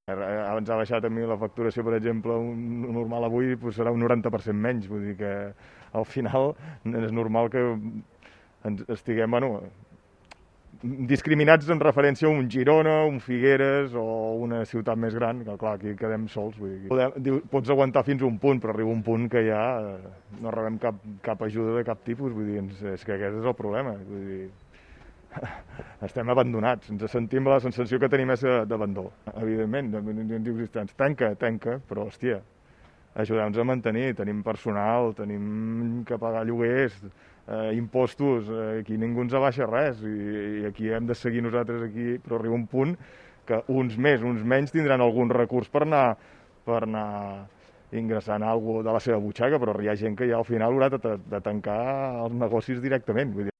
Abans ha baixat a mi la facturació, per exemple, un normal avui doncs serà un 90% menys, vull dir que al final és normal que estiguem, bueno, discriminats en referència a un Girona, un Figueres o una ciutat més gran, que clar, aquí quedem sols. Vull dir, pots aguantar fins a un punt, però arriba un punt que ja no rebem cap ajuda de cap tipus, vull dir, és que aquest és el problema. Vull dir, estem abandonats, ens sentim, la sensació que tenim és d'abandó. Evidentment, dius, tanca, però hòstia, ajudar-nos a mantenir, tenim personal, tenim que pagar lloguers, impostos, aquí ningú ens abaixa res i aquí hem de seguir nosaltres aquí, però arriba un punt que uns més, uns menys tindran algun recurs per anar ingressant alguna cosa de la seva butxaca, però hi ha gent que ja al final haurà de tancar els negocis directament. Vull dir,